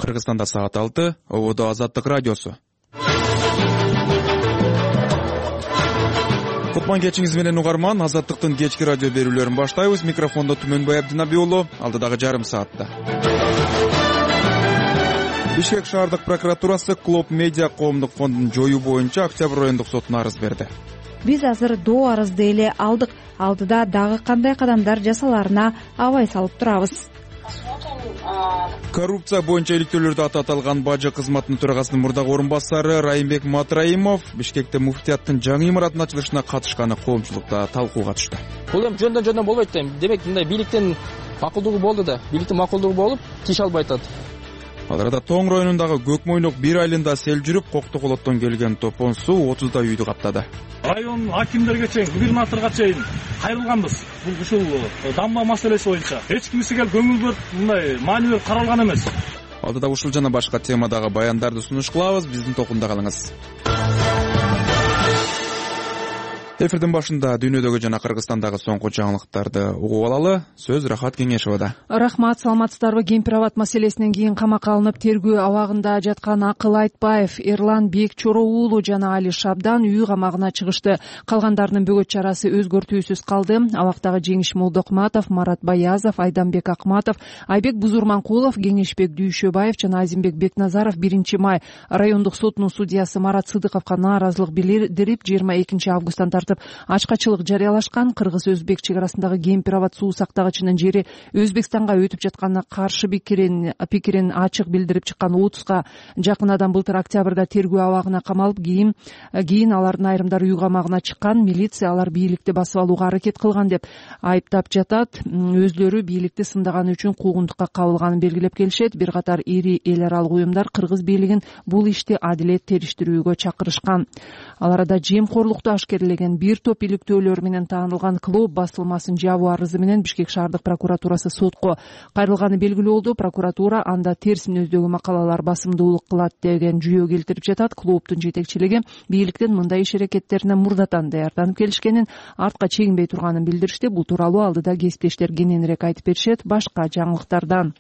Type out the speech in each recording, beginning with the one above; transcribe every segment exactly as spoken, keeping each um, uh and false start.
Кыргызстанда саат алты, ободо Азаттык радиосу. Кутман кечиңиз менен угарман, Азаттыктын кечки радио берүүлөрүн баштайбыз. Микрофондо Түмөнбай Абдинабий уулу, алдыдагы жарым саатта. Бишкек шаардык прокуратурасы Клоп Медиа коомдук фондун жоюу боюнча Октябрь райондук сотуна арыз берди. Биз азыр доо арызды эле алдык. Алдыда дагы кандай кадамдар жасаларына абай салып турабыз. Коррупция боюнча иликтөөлөрдө аты аталган бажы кызматынын төрагасынын мурдагы орун басары Райымбек Матраимов Бишкекте муфтияттын жаңы имараттын ачылышына катышканы коомчулукта талкууга түштү. Бул эми жөндөн жөндөн болбойт дейм. Демек мындай бийликтин макулдугу болду да, бийликтин макулдугу болуп, киш албай атат. Ал арада Тоң районундагы Көкмойнок бир айылында сел жүрүп, Коктоколоттон келген топон суу отуздай үйдү каптады. Район акимдерге чейин, губернаторго чейин кайрылганбыз. Бул ушул дамба маселеси боюнча эч кимиси келип көңүл бөлүп, мындай маанилүү каралган эмес. Алдыда ушул жана башка темадагы баяндарды сунуш кылабыз. Биздин токунда калыңыз. Эфирдин башында дүйнөдөгү жана Кыргызстандагы соңку жаңылыктарды угуп алалы. Сөз Рахат Кеңешовада. Рахмат, саламатсыздарбы? Кемпир-абад маселесинен кийин камакка алынып тергөө абагында жаткан Акыл Айтбаев, Эрлан Бекчоро уулу жана Али Шабдан үй камагына чыгышты. Калгандарынын бөгөт чарасы өзгөртүүсүз калды. Абактагы Жеңиш Молдокматов, Марат Баязов, Айданбек Акматов, Айбек Бузурманкулов, Кеңешбек Дүйшөбаев жана Азимбек Бекназаров биринчи май райондук сотунун судьясы Марат Сыдыковго нааразылык билдирип жыйырма экинчи августтан тартып ачкачылык жарыялашкан. Кыргыз-өзбек чек арасындагы Кемпир-абад суу сактагычынын жери Өзбекстанга өтүп жатканына каршы пикирин пикирин ачык билдирип чыккан отузга жакын адам былтыр октябрда тергөө абагына камалып, кийин кийин алардын айрымдары үй камагына чыккан. Милиция алар бийликти басып алууга аракет кылган деп айыптап жатат. Өзлөрү бийликти сындаганы үчүн куугунтукка кабылганын белгилеп келишет. Бир катар ири эл аралык уюмдар кыргыз бийлигин бул ишти адилет териштирүүгө чакырышкан. Ал арада жемкорлукту ашкерлеген бир топ иликтөөлөр менен таанылган Клоп басылмасын жабуу арызы менен Бишкек шаардык прокуратурасы сотко кайрылганы белгилүү болду. Прокуратура анда терс мүнөздөгү макалалар басымдуулук кылат деген жүйө келтирип жатат. Клоптун жетекчилиги бийликтин мындай иш аракеттерине мурдатан даярданып келишкенин, артка чегинбей турганын билдиришти. Бул тууралуу алдыда кесиптештер кененирээк айтып беришет. Башка жаңылыктардан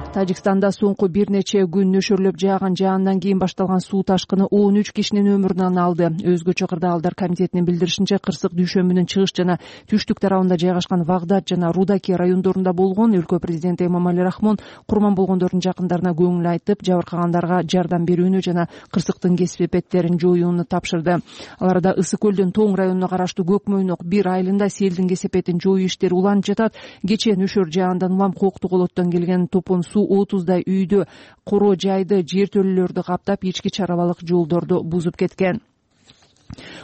Тажикстанда соңку бир нече күн нөшөрлөп жааган жаандан кийин башталган суу ташкыны он үч кишинин өмүрүн алды. Өзгөчө кырдаалдар комитетинин билдиришинче, кырсык дүйшөмбүнүн чыгыш жана түштүк тарабында жайгашкан Вагдат жана Рудаки райондорунда болгон. Өлкө президенти Эмомали Рахмон курман болгондордун жакындарына көңүл айтып, жабыркагандарга жардам берүүнү жана кырсыктын кесипеттерин жоюуну тапшырды. Ал арада Ысык көлдүн Тоң районуна караштуу Көкмойнок бир айылында селдин кесепетин жоюу иштери уланып жатат. Кечээ нөшөр жаандан улам Коктоколоттон келген топон суу отуздай үйдү, коро жайды, жертөлөлөрдү каптап, ички чарабалык жолдорду бузуп кеткен.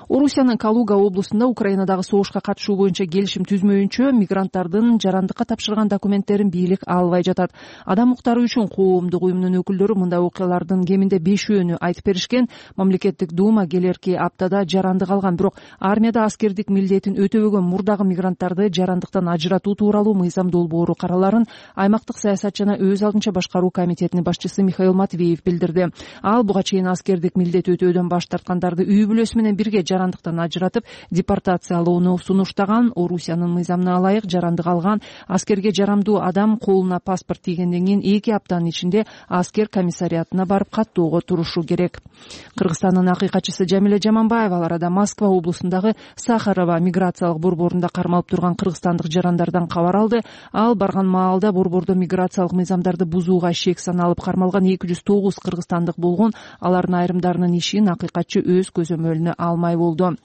Орусиянын Калуга облусунда Украинадагы согушка катышуу боюнча келишим түзмөйүнчө мигранттардын жарандыкка тапшырган документтерин бийлик албай жатат. Адам укуктары үчүн коомдук уюмунун өкүлдөрү мындай окуялардын кеминде бешөөнү айтып беришкен. Мамлекеттик дума келерки аптада жарандык алган, бирок армияда аскердик милдетин өтөбөгөн мурдагы мигранттарды жарандыктан ажыратуу тууралуу мыйзам долбоору караларын аймактык саясат жана өз алдынча башкаруу комитетинин башчысы Михаил Матвеев билдирди. Ал буга чейин аскердик милдет өтөөдөн баш тарткандарды үй бүлөсү менен бирге жарандыктан ажыратып, депортациялоону сунуштаган. Орусиянын мыйзамына ылайык жарандык алган аскерге жарамдуу адам колуна паспорт тийгенден кийин эки аптанын ичинде аскер комиссариатына барып каттоого турушу керек. Кыргызстандын акыйкатчысы Жамиле Жаманбаева ал арада Москва облусундагы Сахарова миграциялык борборунда кармалып турган кыргызстандык жарандардан кабар алды. Ал барган маалда борбордо миграциялык мыйзамдарды бузууга шек саналып кармалган эки жүз тогуз кыргызстандык болгон. Алардын айрымдарынын ишин акыйкатчы өз көзөмөлүнө алмай болду.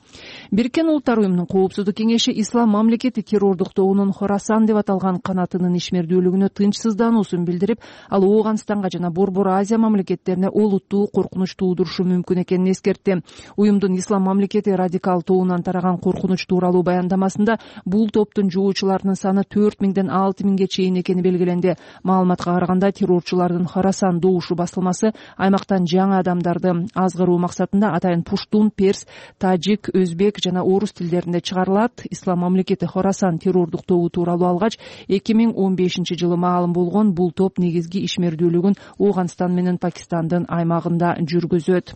Бириккен Улуттар уюмунун коопсуздук кеңеши ислам мамлекети террордук тобунун Хорасан деп аталган канатынын ишмердүүлүгүнө тынчсыздануусун билдирип, ал Ооганстанга жана Борбор Азия мамлекеттерине олуттуу коркунуч туудурушу мүмкүн экенин эскертти. Уюмдун ислам мамлекети радикал тобунан тараган коркунуч тууралуу баяндамасында бул топтун жоочуларынын саны төрт миңден алты миңге чейин экени белгиленди. Маалыматка караганда террорчулардын Хорасан добушу басылмасы аймактан жаңы адамдарды азгыруу максатында атайын пуштун, перс, тажик, өзбек жана орус тилдеринде чыгарылат. Ислам мамлекети Хорасан террордук тобу тууралуу алгач эки миң он бешинчи жылы маалым болгон. Бул топ негизги ишмердүүлүгүн Ооганстан менен Пакистандын аймагында жүргүзөт.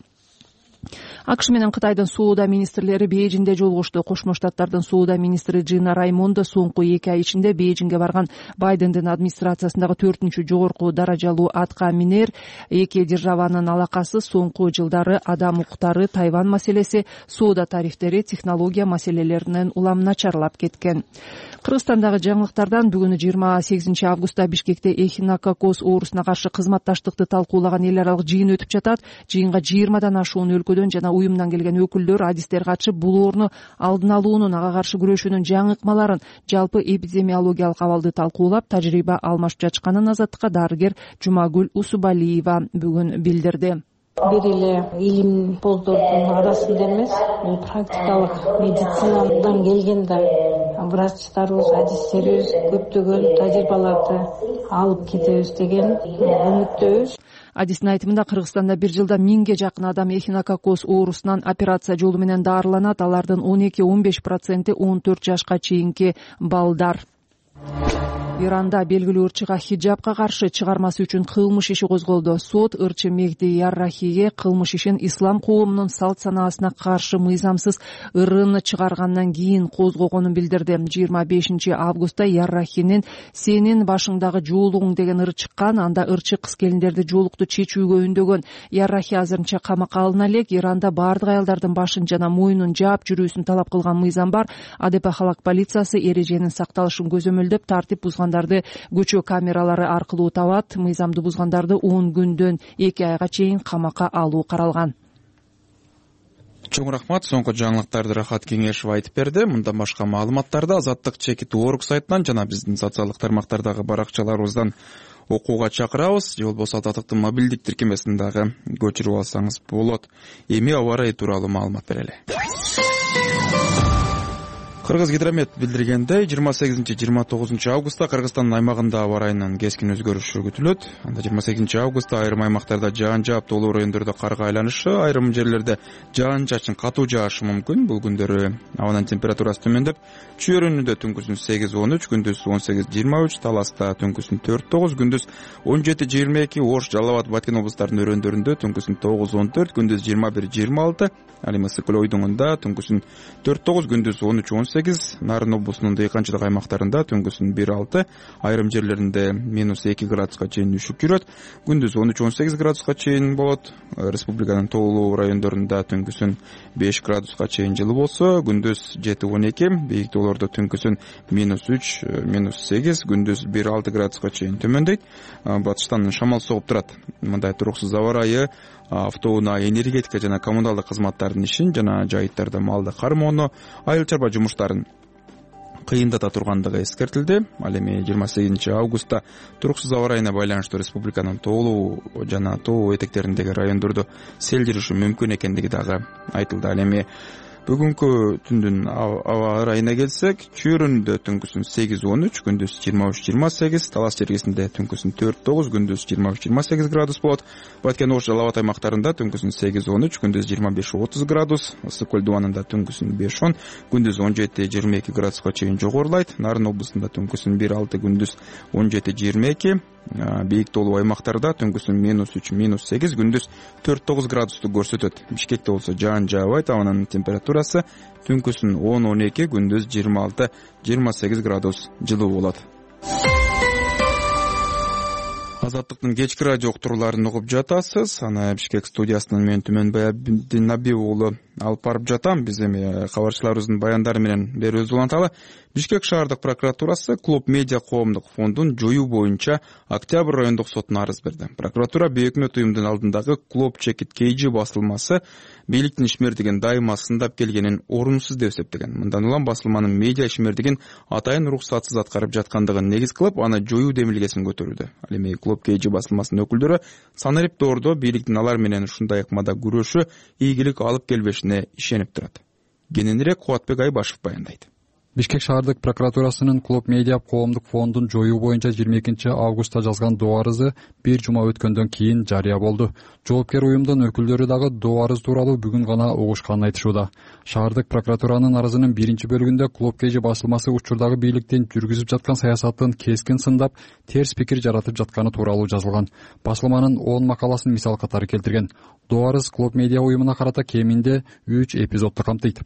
АКШ менен Кытайдын соода министрлери Бейжиңде жолугушту. Кошмо Штаттардын соода министри Джина Раймондо соңку эки ай ичинде Бейжиңге барган Байдендин администрациясындагы төртүнчү жогорку даражалуу атка минер. Эки державанын алакасы соңку жылдары адам укуктары, Тайвань маселеси, соода тарифтери, технология маселелеринен улам начарлап кеткен. Кыргызстандагы жаңылыктардан бүгүн жыйырма сегизинчи августта Бишкекте эхинококоз оорусуна каршы кызматташтыкты талкуулаган эл аралык жыйын өтүп жатат. Жыйынга жыйырмадан ашуун өлкөдөн жана уюмдан келген өкүлдөр, адистер катышып, бул оорууну алдын алуунун, ага каршы күрөшүүнүн жаңы ыкмаларын, жалпы эпидемиологиялык абалды талкуулап, тажрыйба алмашып жатышканын Азаттыкка дарыгер Жумагүл Усубалиева бүгүн билдирди. Бир эле илим боздордун арасында эмес, бул практикалык медицинадан келген да врачтарыбыз, адистерибиз көптөгөн тажрыйбаларды алып кетебиз деген үмүттөбүз. Адистин айтымында Кыргызстанда бир жылда миңге жакын адам эхинококоз оорусунан операция жолу менен даарыланат. Алардын он эки он беш проценти он төрт жашка чейинки балдар. Иранда белгилүү ырчыга хиджабка каршы чыгармасы үчүн кылмыш иши козголду. Сот ырчы Мехди Яррахиге кылмыш ишин ислам коомунун салт санаасына каршы мыйзамсыз ырын чыгаргандан кийин козгогонун билдирди. жыйырма бешинчи августта Яррахинин «Сенин башыңдагы жоолугуң» деген ыры чыккан. Анда ырчы кыз келиндерди жоолукту чечүүгө үндөгөн. Яррахи азырынча камакка алына элек. Иранда баардык аялдардын башын жана мойнун жаап жүрүүсүн талап кылган мыйзам бар. Адепа халак полициясы эреженин сакталышын көзөмөлдөп, тартип бузгандарды көчө камералары аркылуу табат. Мыйзамды бузгандарды он күндөн эки айга чейин камакка алуу каралган. Чоң рахмат. Соңку жаңылыктарды Рахат Кеңешев айтып берди. Мындан башка маалыматтарды Азаттык чекит точка орг сайтынан жана биздин социалдык тармактардагы баракчаларыбыздан окууга чакырабыз. Же болбосо Азаттыктын мобилдик тиркемесин дагы көчүрүп алсаңыз болот. Эми аба ырайы тууралуу маалымат берели. Кыргыз гидромет билдиргендей, жыйырма сегизинчи жыйырма тогузунчу августта Кыргызстандын аймагында аба ырайынын кескин өзгөрүшү күтүлөт. Анда жыйырма сегизинчи августта айрым аймактарда жаан жаап, тоолуу райондордо карга айланышы, айрым жерлерде жаан чачын катуу жаашы мүмкүн. Бул күндөрү абанын температурасы төмөндөп, Чүйөрүнүндө түнкүсүн сегиз он үч, күндүз он сегиз жыйырма үч, Таласта түнкүсүн төрт тогуз, күндүз он жети жыйырма эки, Ош, Жалал Абад, Баткен облустарынын өрөөндөрүндө түнкүсүн тогуз он төрт, күндүз жыйырма бир жыйырма алты, ал эми Ысык көл ойдуңунда түнкүсүн төрт тогуз, күндүз он үч он сегиз, Нарын облусунун дыйканчылык аймактарында түнкүсүн бир алты, айрым жерлеринде минус эки градуска чейин үшүп жүрөт, күндүз он үч он сегиз градуска чейин болот. Республиканын тоолуу райондорунда түнкүсүн беш градуска чейин жылы болсо, күндүз жети он эки, бийик тоолордо түнкүсүн минус үч минус сегиз, күндүз бир алты градуска чейин төмөндөйт. Батыштан шамал согуп турат. Мындай туруксуз аба ырайы автоунаа, энергетика жана коммуналдык кызматтардын ишин жана жайыттарда малды кармоону, айыл чарба жумуштарын кыйындата тургандыгы эскертилди. Ал эми жыйырма сегизинчи августта туруксуз аба ырайына байланыштуу республиканын тоолуу жана тоо этектериндеги райондордо сел жүрүшү мүмкүн экендиги дагы айтылды. Ал эми бүгүнкү түндүн аба ырайына келсек, Чүйөрүндө түнкүсүн сегиз он үч, күндүз жыйырма үч жыйырма сегиз, Талас жергесинде түнкүсүн төрт тогуз, күндүз жыйырма үч жыйырма сегиз градус болот. Баткен, Ош, Жалал Абад аймактарында түнкүсүн сегиз он үч, күндүз жыйырма беш отуз градус, Ысык көл дубанында түнкүсүн беш он, күндүз он жети жыйырма эки градуска чейин жогорулайт. Нарын облусунда түнкүсүн бир алты, күндүз он жети жыйырма эки, бийик тоолуу аймактарда түнкүсүн минус үч минус сегиз, күндүз төрт тогуз градусту көрсөтөт. Бишкекте болсо жаан жаабайт, абанын температурасы түнкүсүн он он эки, күндүз жыйырма алты жыйырма сегиз градус жылуу болот. Азаттыктын кечки радио уктурууларын угуп жатасыз. Аны Бишкек студиясынан мен Түмөнбай Абдинабиев уулу алып барып жатам. Биз эми кабарчыларыбыздын баяндары менен берүүбүздү уланталы. Бишкек шаардык прокуратурасы Клуб Медиа коомдук фондун жоюу боюнча Октябрь райондук сотуна арыз берди. Прокуратура бейөкмөт уюмдун алдындагы Клуб Чекит кей жи басылмасы бийликтин ишмердигин дайыма сындап келгенин орунсуз деп эсептеген. Мындан улам басылманын медиа ишмердигин атайын уруксатсыз аткарып жаткандыгын негиз кылып, аны жоюу демилгесин көтөрүүдө. Ал эми Клуб кей жи басылмасынын өкүлдөрү санариптоордо бийликтин алар менен ушундай ыкмада күрөшү ийгилик алып келбешине ишенип турат. Кененирээк Кубатбек Айбашев баяндайт. Бишкек шаардык прокуратурасынын Клуб Медиа коомдук фондун жоюу боюнча жыйырма экинчи августта жазган доо арызы бир жума өткөндөн кийин жарыя болду. Жоопкер уюмдун өкүлдөрү дагы доо арыз тууралуу бүгүн гана угушканын айтышууда. Шаардык прокуратуранын арызынын биринчи бөлүгүндө Клуб Кей Жи басылмасы учурдагы бийликтин жүргүзүп жаткан саясатын кескин сындап, терс пикир жаратып жатканы тууралуу жазылган. Басылманын он макаласын мисал катары келтирген. Доо арыз Клуб Медиа уюмуна карата кеминде үч эпизодду камтыйт.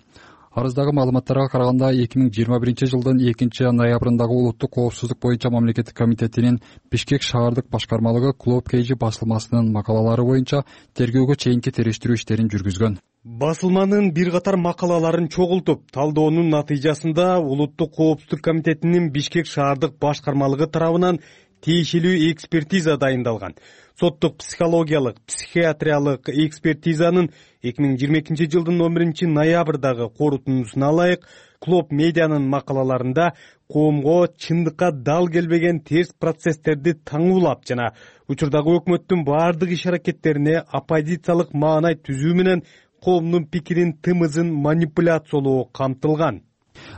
Арыздагы маалыматтарга караганда эки миң жыйырма биринчи жылдын экинчи ноябрындагы улуттук коопсуздук боюнча мамлекеттик комитетинин Бишкек шаардык башкармалыгы Клуб Кей Жи басылмасынын макалалары боюнча тергөөгө чейинки териштирүү иштерин жүргүзгөн. Басылманын бир катар макалаларын чогултуп, талдоонун натыйжасында улуттук коопсуздук комитетинин Бишкек шаардык башкармалыгы тарабынан тиешелүү экспертиза дайындалган. Соттук психологиялык, психиатриялык экспертизанын эки миң жыйырма экинчи жылдын он биринчи ноябрдагы корутундусуна ылайык Клуб Медианын макалаларында коомго чындыкка дал келбеген терс процесстерди таңуулап жана учурдагы өкмөттүн баардык иш-аракеттерине оппозициялык маанай түзүү менен коомдун пикирин тымызын манипуляциялоо камтылган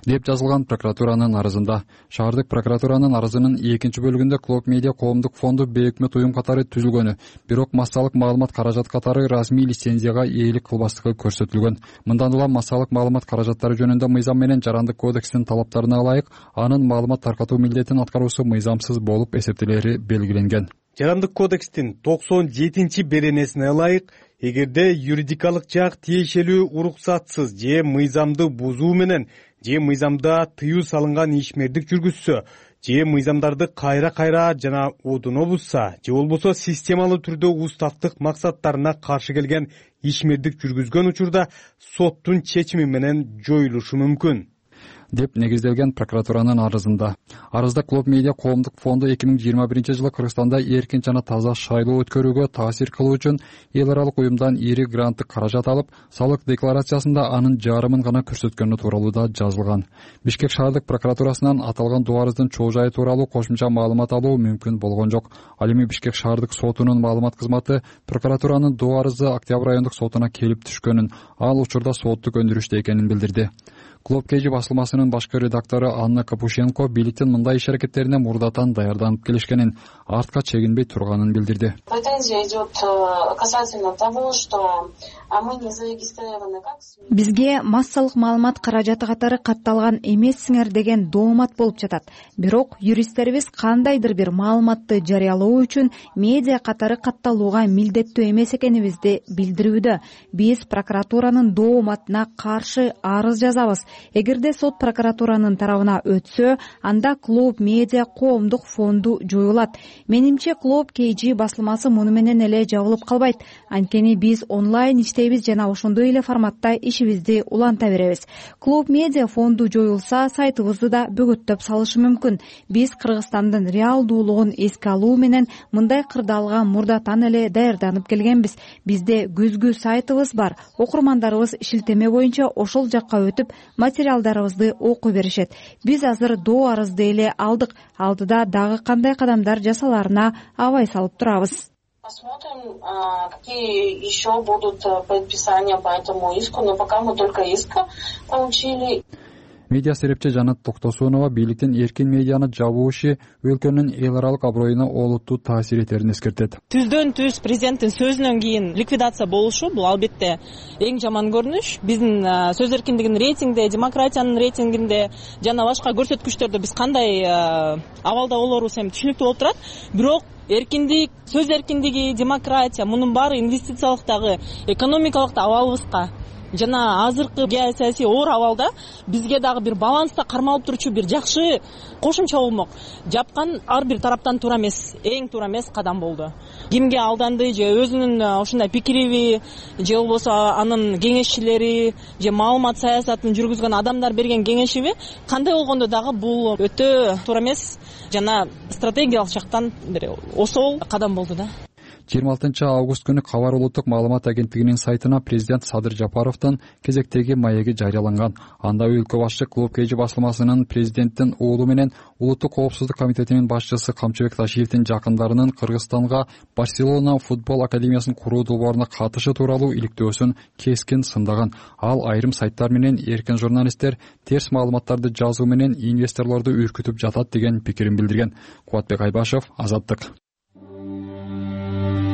деп жазылган прокуратуранын арызында. Шаардык прокуратуранын арызынын экинчи бөлүгүндө Клуб Медиа коомдук фонду бейөкмөт уюм катары түзүлгөнү, бирок массалык маалымат каражат катары расмий лицензияга ээлик кылбастыгы көрсөтүлгөн. Мындан улам массалык маалымат каражаттары жөнүндө мыйзам менен жарандык кодекстин талаптарына ылайык анын маалымат таркатуу милдетин аткаруусу мыйзамсыз болуп эсептелери белгиленген. Жарандык кодекстин токсон жетинчи беренесине ылайык, эгерде юридикалык жак тиешелүү уруксатсыз же мыйзамды бузуу менен же мыйзамда тыюу салынган ишмердик жүргүзсө, же мыйзамдарды кайра-кайра жана одуно бузса, же болбосо системалуу түрдө устаттык максаттарына каршы келген ишмердик жүргүзгөн учурда соттун чечими менен жоюлушу мүмкүн деп негизделген прокуратуранын арызында. Арызда Клуб Медиа коомдук фонду эки миң жыйырма биринчи жылы Кыргызстанда эркин жана таза шайлоо өткөрүүгө таасир кылуу үчүн эл аралык уюмдан ири гранттык каражат алып, салык декларациясында анын жарымын гана көрсөткөнү тууралуу да жазылган. Бишкек шаардык прокуратурасынан аталган доо арыздын чоо жайы тууралуу кошумча маалымат алуу мүмкүн болгон жок. Ал эми Бишкек шаардык сотунун маалымат кызматы прокуратуранын доо арызы Октябрь райондук сотуна келип түшкөнүн, ал учурда соттук өндүрүштө экенин билдирди. Клуб Кей Жи басылмасынын башкы редактору Анна Капушенко бийликтин мындай иш-аракеттерине мурдатан даярданып келишкенин, артка чегинбей турганын билдирди. Претензия идет касательно того, что мы не зарегистрированы как СМИ. Бизге массалык маалымат каражаты катары катталган эмессиңер деген доомат болуп жатат. Бирок юристтерибиз кандайдыр бир маалыматты жарыялоо үчүн медиа катары катталууга милдеттүү эмес экенибизди билдирүүдө. Биз прокуратуранын дооматына каршы арыз жазабыз. Эгерде сот прокуратуранын тарабына өтсө, анда Клуб Медиа коомдук фонду жоюлат. Менимче Клуб Кей Жи басылмасы муну менен эле жабылып калбайт. Анткени биз онлайн иштейбиз жана ошондой эле форматта ишибизди уланта беребиз. Клуб Медиа фонду жоюлса, сайтыбызды да бөгөттөп салышы мүмкүн. Биз Кыргызстандын реалдуулугун эске алуу менен мындай кырдаалга мурдатан эле даярданып келгенбиз. Бизде көзгү сайтыбыз бар. Окурмандарыбыз шилтеме боюнча ошол жакка өтүп материалдарыбызды окуй беришет. Биз азыр доо арызды эле алдык. Алдыда дагы кандай кадамдар жасаларына абай салып турабыз. Посмотрим, какие еще будут предписания по этому иску, но пока мы только иск получили. Медиа серепчи Жанат Токтосунова бийликтин эркин медианы жабуу иши өлкөнүн эл аралык аброюна олуттуу таасир этерин эскертет. Түздөн түз президенттин сөзүнөн кийин ликвидация болушу бул албетте эң жаман көрүнүш. Биздин сөз эркиндигинин рейтингде, демократиянын рейтингинде жана башка көрсөткүчтөрдө биз кандай абалда болорубуз эми түшүнүктүү болуп турат. Бирок эркиндик, сөз эркиндиги, демократия мунун баары инвестициялык дагы, экономикалык да абалыбызга жана азыркы геосаясий оор абалда бизге дагы бир баланста кармалып турчу бир жакшы кошумча болмок. Жапкан ар бир тараптан туура эмес, эң туура эмес кадам болду. Кимге алданды же өзүнүн ушундай пикириби же болбосо анын кеңешчилери же маалымат саясатын жүргүзгөн адамдар берген кеңешиби кандай болгондо дагы бул өтө туура эмес жана стратегиялык жактан бир осол кадам болду да. жыйырма алтынчы август күнү Кабар улуттук маалымат агенттигинин сайтына президент Садыр Жапаровдун кезектеги маеги жарыяланган. Анда өлкө башчы Клуб Кж басылмасынын президенттин уулу менен Улуттук коопсуздук комитетинин башчысы Камчыбек Ташиевдин жакындарынын Кыргызстанга Барселона футбол академиясын куруу долбооруна катышы тууралуу иликтөөсүн кескин сындаган. Ал айрым сайттар менен эркин журналисттер терс маалыматтарды жазуу менен инвесторлорду үркүтүп жатат деген пикирин билдирген. Кубатбек Айбашев, Азаттык.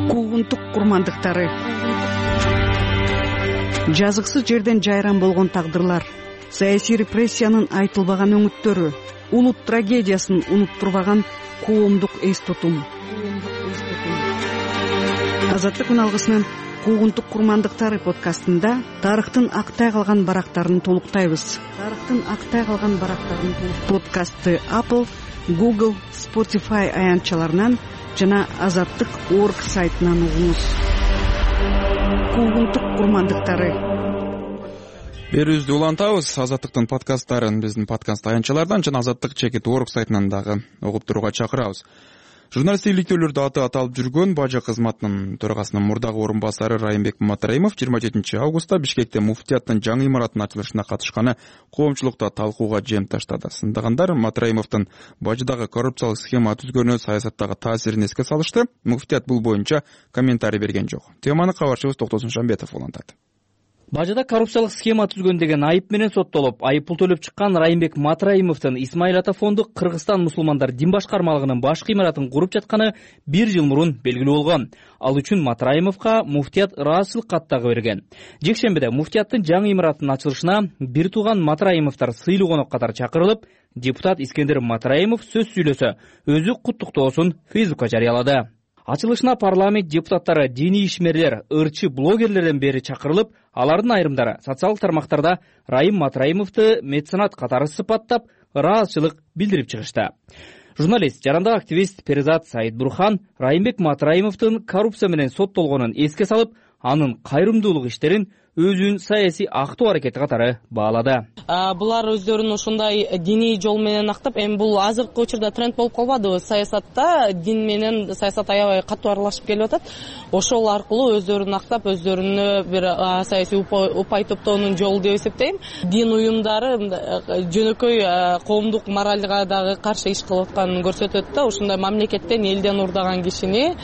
Куугунтук курмандыктары, жазыксыз жерден жайран болгон тагдырлар, саясий репрессиянын айтылбаган өңүттөрү, улут трагедиясын унуттурбаган коомдук эс тутум. Азаттык күн алгысынын Куугунтук курмандыктары подкастында тарыхтын актай калган барактарын толуктайбыз. Тарыхтын актай калган барактарын подкастты Apple, Google, Spotify аянтчаларынан жана азаттык точка орг сайтынан угуңуз. Куугунтук курмандыктары. Берүүбүздү улантабыз. Азаттыктын подкасттарын биздин подкаст аянтчалардан жана азаттык точка орг сайтынан дагы угуп турууга чакырабыз. Журналисттик иликтөөлөрдө аты аталып жүргөн Бажы кызматынын төрагасынын мурдагы орун басары Райымбек Матраимов жыйырма жетинчи августта Бишкекте муфтияттын жаңы имаратынын ачылышына катышканы коомчулукта талкууга жем таштады. Сындагандар Матраимовдун Бажыдагы коррупциялык схема түзгөнү саясаттагы таасирин эске салышты. Муфтият бул боюнча комментарий берген жок. Теманы кабарчыбыз Токтосун Шамбетов улантат. Бажыда коррупциялык схема түзгөн деген айып менен соттолуп, айып пул төлөп чыккан Райымбек Матраимовдун Исмаил Ата фонду Кыргызстан мусулмандар дин башкармалыгынын башкы имаратын куруп жатканы бир жыл мурун белгилүү болгон. Ал үчүн Матраимовго муфтият ыраазычылык кат дагы берген. Жекшембиде муфтияттын жаңы имаратынын ачылышына бир тууган Матраимовдор сыйлуу конок катары чакырылып, депутат Искендер Матраимов сөз сүйлөсө, өзү куттуктоосун Фейсбукка жарыялады. Ачылышына парламент депутаттары, диний ишмерлер, ырчы блогерлерден бери чакырылып, алардын айрымдары социалдык тармактарда Райым Матраимовду меценат катары сыпаттап, ыраазычылык билдирип чыгышты. Журналист, жарандык активист Перизат Саидбурхан Райымбек Матраимовдун коррупция менен соттолгонун эске салып, анын кайрымдуулук иштерин өзүнүн саясий актоо аракети катары баалады. Булар өздөрүн ушундай диний жол менен актап, эми бул азыркы учурда тренд болуп калбадыбы? Саясатта дин менен саясат аябай катуу аралашып келип атат. Ошол аркылуу өздөрүн актап, өздөрүнө бир саясий упай топтоонун жолу деп эсептейм. Дин уюмдары жөнөкөй коомдук моралга дагы каршы иш кылып атканын көрсөтөт да, ушундай мамлекеттен, элден урдаган кишини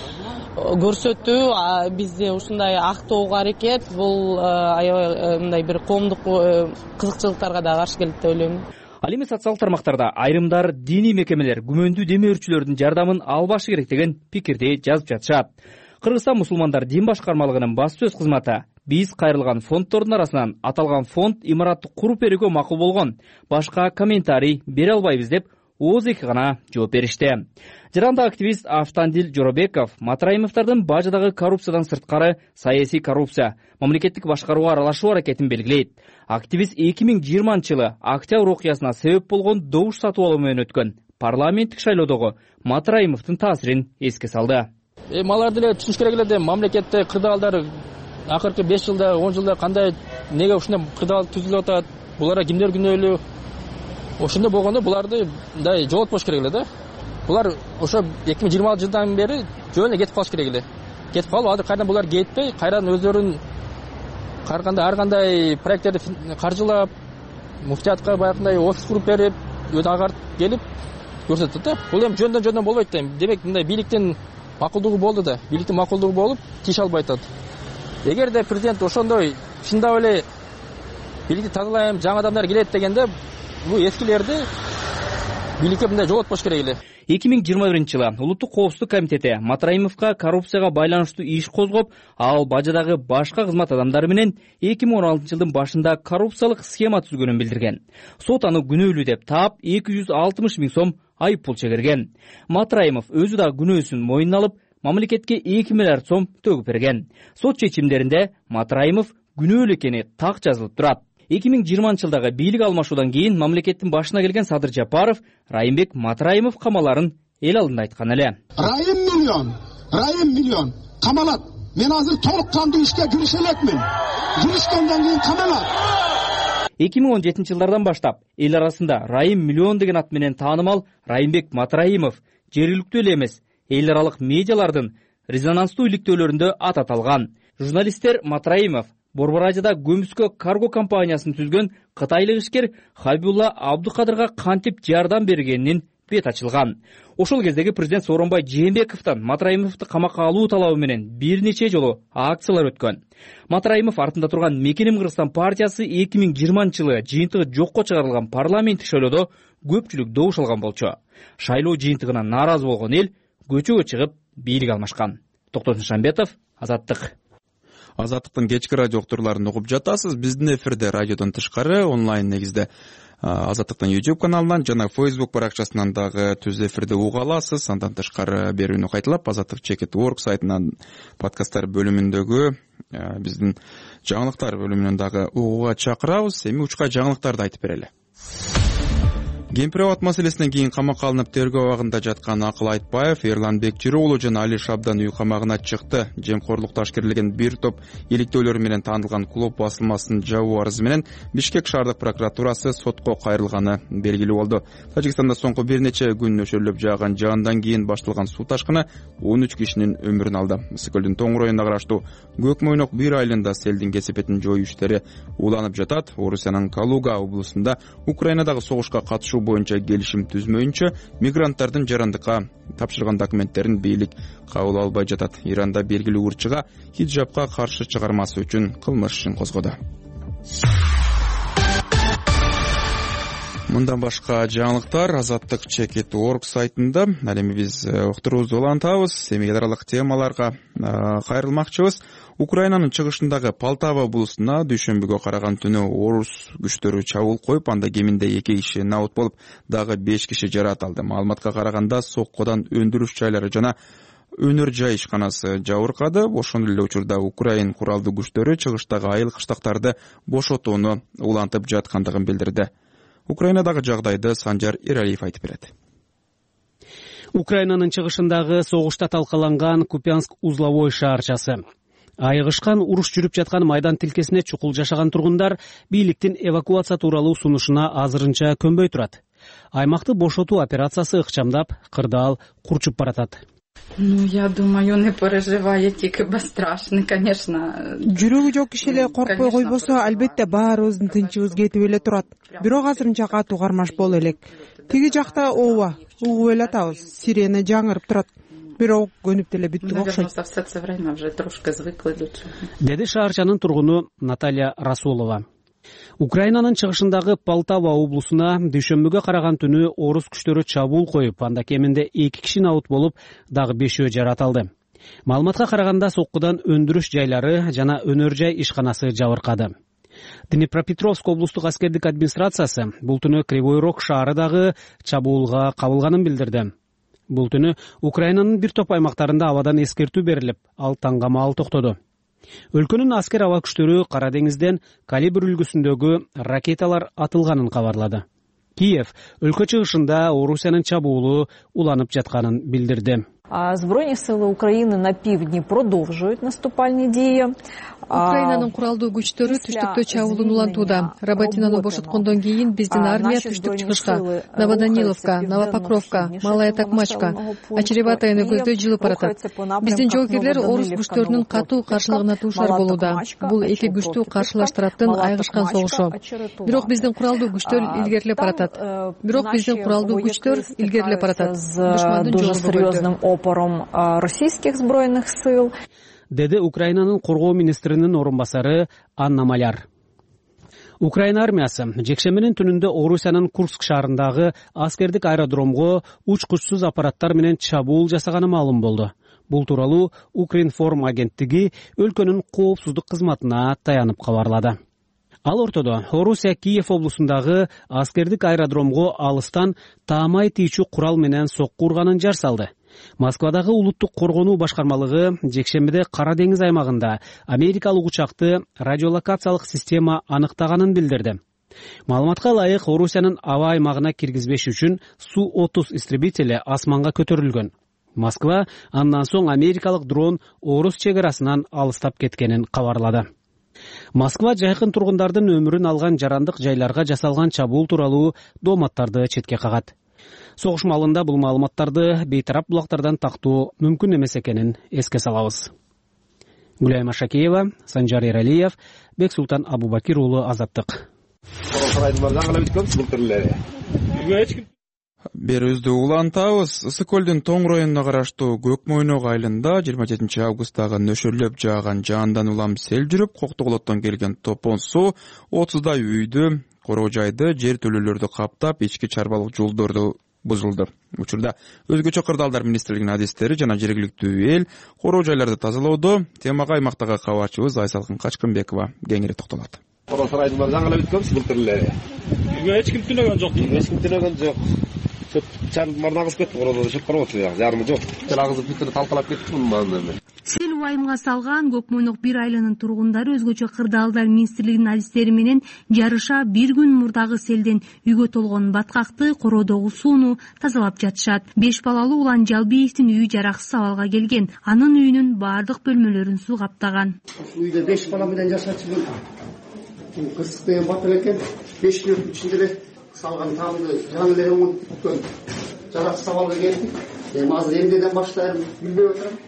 көрсөтүү, бизде ушундай актоого аракет, бул аябай мындай бир коомдук кызыкчылыктарга да каршы келет деп ойлойм. Ал эми социалдык тармактарда айрымдар диний мекемелер күмөндүү демөөрчүлөрдүн жардамын албашы керек деген пикирди жазып жатышат. Кыргызстан мусулмандар дин башкармалыгынын баспасөз кызматы биз кайрылган фонддордун арасынан аталган фонд имаратты куруп берүүгө макул болгон, башка комментарий бере албайбыз деп ооз эки гана жооп беришти. Жарандык активист Автандил Жоробеков Матраимовдордун Бажыдагы коррупциядан сырткары саясий коррупция, мамлекеттик башкарууга аралашуу аракетин белгилейт. Активист эки миң жыйырманчы жылы октябрь окуясына себеп болгон добуш сатып алуу менен өткөн парламенттик шайлоодогу Матраимовдун таасирин эске салды. Эми алар деле түшүнүш керек эле, мамлекетте кырдаалдар акыркы беш жылда, он жылда кандай, неге ушундай кырдаал түзүлүп атат, буларга кимдер күнөөлүү? Ошондой болгондо буларды мындай жоготпош керек эле да. Булар ошо эки миң жыйырма алты жылдан бери жөн эле кетип калыш керек эле. Кетип калып, азыр кайрадан булар кетпей, кайрадан өздөрүн карганда ар кандай проекттерди каржылап, муфтиятка баягындай офис куруп берип, өтө агартып келип көрсөтөт да. Бул эми жөндөн жөндөн болбойт да. Демек мындай бийликтин макулдугу болду да. Бийликтин макулдугу болуп, тиеш албай атат. Эгерде президент ошондой чындап эле бийликти тазалайм, жаңы адамдар келет дегенде, бул эскилерди бийликке мындай жоготпош керек эле. эки миң жыйырма биринчи жылы Улуттук коопсуздук комитети Матраимовго коррупцияга байланыштуу иш козгоп, ал Бажыдагы башка кызмат адамдары менен эки миң он алтынчы жылдын башында коррупциялык схема түзгөнүн билдирген. Сот аны күнөөлүү деп таап, эки жүз алтымыш миң сом айып пул чегерген. Матраимов өзү да күнөөсүн мойнуна алып, мамлекетке эки миллиард сом төгүп берген. Сот чечимдеринде Матраимов күнөөлүү экени так жазылып турат. эки миң жыйырманчы жылдагы бийлик алмашуудан кийин мамлекеттин башына келген Садыр Жапаров Райымбек Матраимов камаларын эл алдында айткан эле. Райым миллион, Райым миллион камалат. Мен азыр толук кандуу ишке кирише элекмин. Киришкенден кийин камалат. эки миң он жетинчи жылдардан баштап эл арасында Райым миллион деген ат менен таанымал Райымбек Матраимов жергиликтүү эле эмес, эл аралык медиалардын резонанстуу иликтөөлөрүндө аты аталган. Журналисттер Матраимов Борборажыда көмүскө карго компаниясын түзгөн кытайлык ишкер Хабибулла Абдукадырга кантип жардам бергенин бет ачылган. Ошол кездеги президент Сооронбай Жээнбековдон Матраимовду камакка алуу талабы менен бир нече жолу акциялар өткөн. Матраимов артында турган Мекеним Кыргызстан партиясы эки миң жыйырманчы жылы жыйынтыгы жокко чыгарылган парламенттик шайлоодо көпчүлүк добуш алган болчу. Шайлоо жыйынтыгына нааразы болгон эл көчөгө чыгып бийлик алмашкан. Токтосун Шамбетов, Азаттык. Азаттыктын кечки радио уктурууларын угуп жатасыз. Биздин эфирде радиодон тышкары онлайн негизде Азаттыктын YouTube каналынан жана Facebook баракчасынан дагы түз эфирде уга аласыз. Андан тышкары берүүнү кайталап азаттык чекит точка орг сайтынан подкасттар бөлүмүндөгү биздин жаңылыктар бөлүмүнөн дагы угууга чакырабыз. Эми учка жаңылыктарды айтып берели. Кемпир абад маселесинен кийин камакка алынып тергөө абагында жаткан Акыл Айтбаев, Эрлан Бекжирі уулу жана Али Шабдан үй камагына чыкты. Жемкорлукта ашкерилген бир топ иликтөөлөр менен таанылган клуб басылмасынын жабуу арызы менен Бишкек шаардык прокуратурасы сотко кайрылганы белгилүү болду. Тажикстанда соңку бир нече күн нөшөрлөп жааган жаандан кийин башталган суу ташкыны он үч кишинин өмүрүн алды. Ысык-көлдүн Тоң районуна караштуу Көк Мойнок бир айылында селдин кесепетин жоюу иштери уланып жатат. Орусиянын Калуга облусунда Украинадагы согушка катышуу боюнча келишим түзмөйүнчө мигранттардын жарандыкка тапшырган документтерин бийлик кабыл албай жатат. Иранда белгилүү урчуга хиджабка каршы чыгармасы үчүн кылмыш ишин козгоду. Мындан башка жаңылыктар азаттык чекит точка орг сайтында. Ал эми биз уктуруубузду улантабыз. Эми эл аралык темаларга кайрылмакчыбыз. Украинанын чыгышындагы Полтава облусуна дүйшөмбүгө караган түнү орус күчтөрү чабуул коюп, анда кеминде эки киши набыт болуп, дагы беш киши жаракат алды. Маалыматка караганда соккодон өндүрүш жайлары жана өнөр жай ишканасы жабыркады. Ошондой эле учурда Украин куралдуу күчтөрү чыгыштагы айыл кыштактарды бошотууну улантып жаткандыгын билдирди. Украинадагы жагдайды Санжар Эралиев айтып берет. Украинанын чыгышындагы согушта талкаланган Купянск узловой шаарчасы. Айыгышкан уруш жүрүп жаткан майдан тилкесине чукул жашаган тургундар бийликтин эвакуация тууралуу сунушуна азырынча көнбөй турат. Аймакты бошотуу операциясы ыкчамдап, кырдаал курчуп баратат. Ну, я думаю, не переживайте, кыба страшно, конечно. Жүрөгү жок киши эле коркпой койбосо, албетте баарыбыздын тынчыбыз кетип эле турат. Бирок азырынча катуу кармаш боло элек. Тиги жакта ооба, угуп эле атабыз. Сирена жаңырып турат. Бирок көнүп деле бүттүк окшойт. Деди шаарчанын тургуну Наталья Расулова. Украинанын чыгышындагы Полтава облусуна дүйшөмбүгө караган түнү орус күчтөрү чабуул коюп, анда кеминде эки киши набыт болуп, дагы бешөө жаракат алды. Маалыматка караганда соккудан өндүрүш жайлары жана өнөр жай ишканасы жабыркады. Днепропетровск облустук аскердик администрациясы бул түнү Кривой Рог шаарындагы чабуулга кабылганын билдирди. Бул түнү Украинанын бир топ аймактарында абадан эскертүү берилип, ал таңгамаал токтоду. Өлкөнүн аскер аба күчтөрү Кара деңизден калибр үлгүсүндөгү ракеталар атылганын кабарлады. Киев өлкө чыгышында Орусиянын чабуулу уланып жатканын билдирди. Збройні сили України на півдні продовжують наступальні дії. Украинанын куралдуу күчтөрү түштүктө чабуулун улантууда. Работинаны бошоткондон кийин биздин армия түштүк чыгышка, Новоданиловка, Новопокровка, Малая Такмачка, Очереватаяны көздөй жылып баратат. Биздин жоокерлер орус күчтөрүнүн катуу каршылыгына туушар болууда. Бул эки күчтүү каршылаш тараптын айыгышкан согушу. Бирок биздин куралдуу күчтөр илгерилеп баратат. Бирок биздин куралдуу күчтөр илгерилеп баратат. Душмандын жолу серьезным опором российских збройных сил. Деди Украинанын коргоо министринин орун басары Анна Маляр. Украина армиясы жекшембинин түнүндө Орусиянын Курск шаарындагы аскердик аэродромго учкучсуз аппараттар менен чабуул жасаганы маалым болду. Бул тууралуу Укринформ агенттиги өлкөнүн коопсуздук кызматына таянып кабарлады. Ал ортодо Орусия Киев облусундагы аскердик аэродромго алыстан таамай тийчү курал менен сокку урганын жар салды. Москвадагы улуттук коргонуу башкармалыгы жекшембиде Кара деңиз аймагында америкалык учакты радиолокациялык система аныктаганын билдирди. Маалыматка ылайык Орусиянын аба аймагына киргизбеш үчүн Су отуз истребители асманга көтөрүлгөн. Москва андан соң америкалык дрон орус чек арасынан алыстап кеткенин кабарлады. Москва жайкын тургундардын өмүрүн алган жарандык жайларга жасалган чабуул тууралуу дооматтарды четке кагат. согуш маалында бул маалыматтарды бейтарап булактардан тактоо мүмкүн эмес экенин эске салабыз. Гүлайма Шакеева, Санжар Эралиев, Бексултан Абубакир уулу, Азаттык. Берүүбүздү улантабыз. Ысык көлдүн Тоң районуна караштуу Көк Мойнок айылында жыйырма жетинчи августтагы нөшөрлөп жааган жаандан улам сел жүрүп, Коктогулоттон келген топон суу отуздай үйдү, короо жайды, жер төлөлөрдү каптап, ички чарбалык жолдорду бузулду. Учурда өзгөчө кырдаалдар министрлигинин адистери жана жергиликтүү эл короо жайларды тазалоодо. Темага аймактагы кабарчыбыз Айсалкын Качкынбекова кеңири токтолот. Короо сарайдын жаңылап өткөнбүз былтыр. Эч ким түнөгөн жок. Эч ким түнөгөн жок. Чармар нагыз кетти, короодо чыгып карабатыр, жарымы жок. Агызып бүтүн талкалап кетти мунун маанында. Сел убайымга салган Көк Мойнок бир айылынын тургундары өзгөчө кырдаалдар министрлигинин адистери менен жарыша бир күн мурдагы селден үйгө толгон баткакты, короодогу сууну тазалап жатышат. Беш балалуу Улан Жалбиевдин үйү жараксыз абалга келген. Анын үйүнүн баардык бөлмөлөрүн суу каптаган. Үйдө беш бала менен жашачумун. Кырсык деген батыр экен. беш күн ичинде эле салган таамды жаңы эле өткөн. Жараксыз абалга келди. Эми азыр эмнеден баштайм билбей отурам.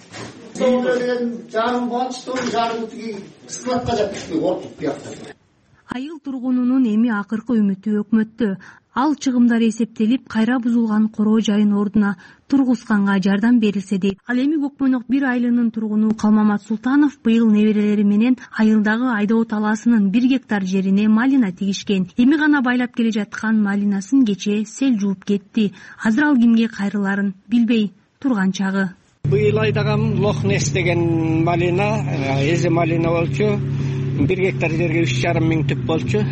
Соң эле жарым болчу, жарым тиги складка жатышты, ортуп бияктап. Айыл тургунунун эми акыркы үмүтү өкмөттө. Ал чыгымдар эсептелип, кайра бузулган короо жайын ордуна тургузганга жардам берилсе дейт. Ал эми Көк Мойнок бир айылынын тургуну Калмамат Султанов быйыл неберелери менен айылдагы Айдоо талаасынын бир гектар жерине малина тигишкен. Эми гана байлап келе жаткан малинасын кече сел жууп кетти. Азыр ал кимге кайрыларын билбей турган чагы. Быйыл айдаган Лохнес деген малина, эзе малина болчу. бир гектар жерге үч жарым миң түп болчу.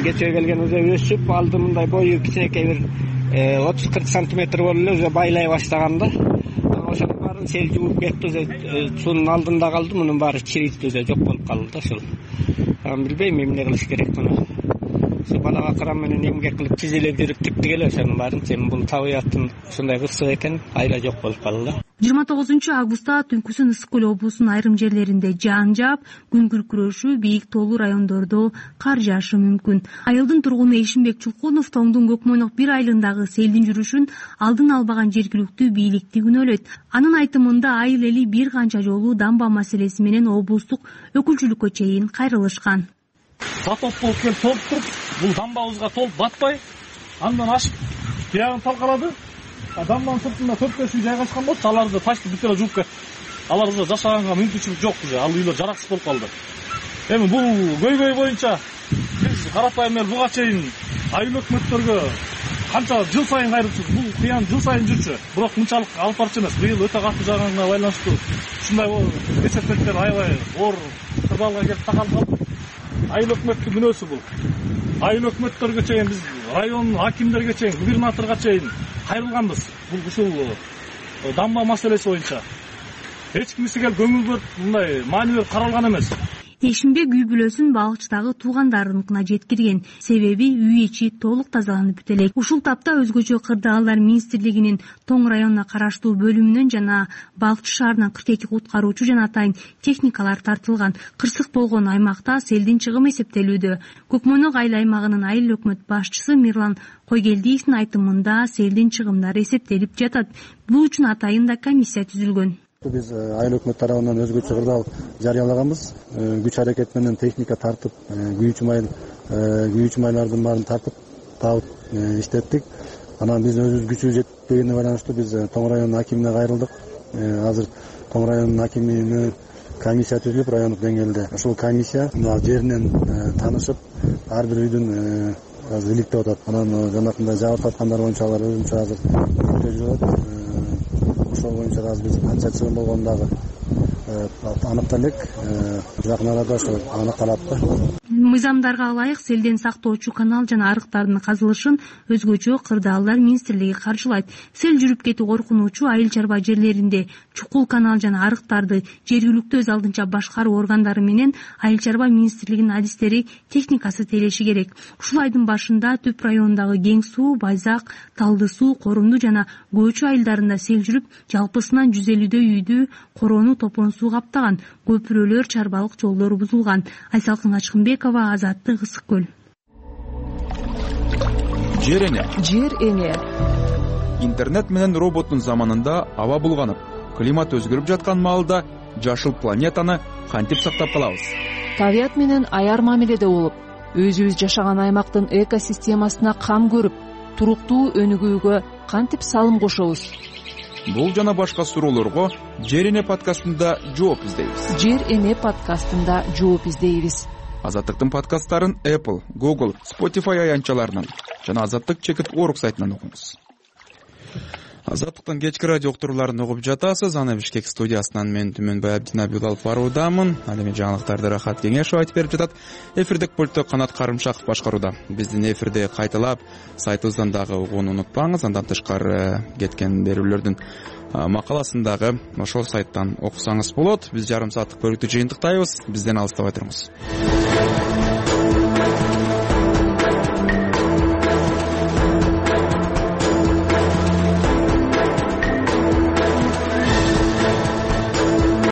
Кече келген уже өсүп, алды мындай бою кичинекей бир отуз кырк сантиметр болуп эле уже байлай баштаганда, ошонун баарын сел жууп кетти, уже суунун алдында калды, мунун баары чирийт, уже жок болуп калды да ушул. Билбейм эмне кылыш керек муну. Ошо балага кран менен эмгек кылып тизелеп жүрүп тиктик эле ошонун баарын. Эми бул табыяттын ушундай кырсык экен, айла жок болуп калды да. жыйырма тогузунчу августта түнкүсүн Ысык көл облусунун айрым жерлеринде жаан жаап, күн күркүрөшү, бийик тоолуу райондордо кар жаашы мүмкүн. Айылдын тургуну Эшимбек Чулкунов Тоңдун Көк Мойнок бир айылындагы селдин жүрүшүн алдын албаган жергиликтүү бийликти күнөөлөйт. Анын айтымында айыл эли бир канча жолу дамба маселеси менен облустук өкүлчүлүккө чейин кайрылышкан. Потоп болуп келип толуп туруп, бул дамбабызга толуп батпай, андан ашып, биягын талкалады. Дамбанын сыртында төрт беш үй жайгашкан болчу, аларды ташты бүт эле жууп кетти. Алар уже жашаганга мүмкүнчүлүк жок уже, ал үйлөр жараксыз болуп калды. Эми бул көйгөй боюнча биз карапайым эл буга чейин айыл өкмөттөргө канча жыл сайын кайрылчубуз. Бул кыян жыл сайын жүрчү, бирок мынчалык алып барчу эмес. Быйыл өтө катуу жааганга байланыштуу ушундай эсептектер аябай оор кырдаалга келип такалып калды. Айыл өкмөттүн күнөөсү бул. Айыл өкмөттөргө чейин биз район акимдерге чейин, губернаторго чейин кайрылганбыз. Бул ушул дамба маселеси боюнча эч кимиси келип көңүл бөлүп мындай маани берип каралган эмес. Эшимбек үй бүлөсүн балыкчыдагы туугандарыныкына жеткирген. Себеби үй ичи толук тазаланып бүт элек. Ушул тапта өзгөчө кырдаалдар министрлигинин Тоң районуна караштуу бөлүмүнөн жана Балыкчы шаарынан кырк эки куткаруучу жана атайын техникалар тартылган. Кырсык болгон аймакта селдин чыгымы эсептелүүдө. Көк Мойнок айыл аймагынын айыл өкмөт башчысы Мирлан Койгелдиевдин айтымында селдин чыгымдары эсептелип жатат. Бул үчүн атайын да комиссия түзүлгөн. Биз айыл өкмөт тарабынан өзгөчө кырдаал жарыялаганбыз. Күч аракет менен техника тартып, күйүүчү майыл, күйүүчү майлардын баарын тартып, табып иштеттик. Анан биздин өзүбүз күчүбүз жетпегенине байланыштуу биз Тоң районунун акимине кайрылдык. Азыр Тоң районунун акимине комиссия түзүлүп, райондук деңгээлде ушул комиссия жеринен таанышып, ар бир үйдүн азыр иликтеп атат. Анан жанакындай жабырт аткандар боюнча алар өзүнчө азыр жүрүп атат. Ошол боюнча азыр биз канча чыгым болгону дагы аныктала элек. Жакын арада ошо аныкталат да. Мыйзамдарга ылайык селден сактоочу канал жана арыктардын казылышын өзгөчө кырдаалдар министрлиги каржылайт. Сел жүрүп кетүү коркунучу айыл чарба жерлеринде чукул канал жана арыктарды жергиликтүү өз алдынча башкаруу органдары менен айыл чарба министрлигинин адистери техникасы тейлеши керек. Ушул айдын башында Түп районундагы Кең суу, Байзак, Талды суу, Корумду жана Көчү айылдарында сел жүрүп, жалпысынан жүз элүүдөй үйдү, короону топон суу каптаган. Көпүрөлөр, чарбалык жолдор бузулган. Айсалкын Качкынбекова, Азаттык, Ысык көл. Жер эне. Жер эне. интернет менен роботтун заманында аба булганып, климат өзгөрүп жаткан маалда жашыл планетаны кантип сактап калабыз? Табият менен аяр мамиледе болуп, өзүбүз жашаган аймактын экосистемасына кам көрүп, туруктуу өнүгүүгө кантип салым кошобуз? Бул жана башка суроолорго Жер эне подкастында жооп издейбиз. Жер эне подкастында жооп издейбиз. Азаттыктын подкасттарын Apple, Google, Spotify аянтчаларынан жана Азаттык чекит орг сайтынан окуңуз. Азаттыктын кечки радио уктурууларын угуп жатасыз. Аны Бишкек студиясынан мен Түмөнбай Абдинабилов баруудамын. Ал эми жаңылыктарды Рахат Кеңешов айтып берип жатат. Эфирдик пультту Канат Карымшаков башкарууда. Биздин эфирди кайталап сайтыбыздан дагы угууну унутпаңыз. Андан тышкары кеткен берүүлөрдүн макаласын дагы ошол сайттан окусаңыз болот. Биз жарым сааттык бөлүктү жыйынтыктайбыз. Бизден алыстабай туруңуз.